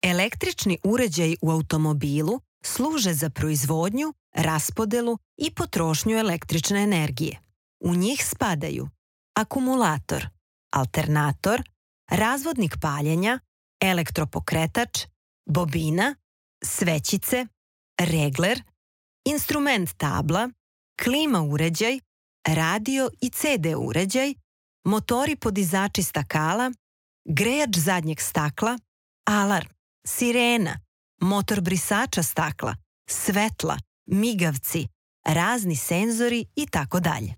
Električni uređaji u automobilu služe za proizvodnju, raspodelu i potrošnju električne energije. U njih spadaju akumulator, alternator, razvodnik paljenja, elektropokretač, bobina, svećice, regler, instrument tabla, klima uređaj, radio i CD uređaj, motori podizači stakala, grejač zadnjeg stakla, alarm, sirena, motor brisača stakla, svetla, migavci, razni senzori i tako dalje.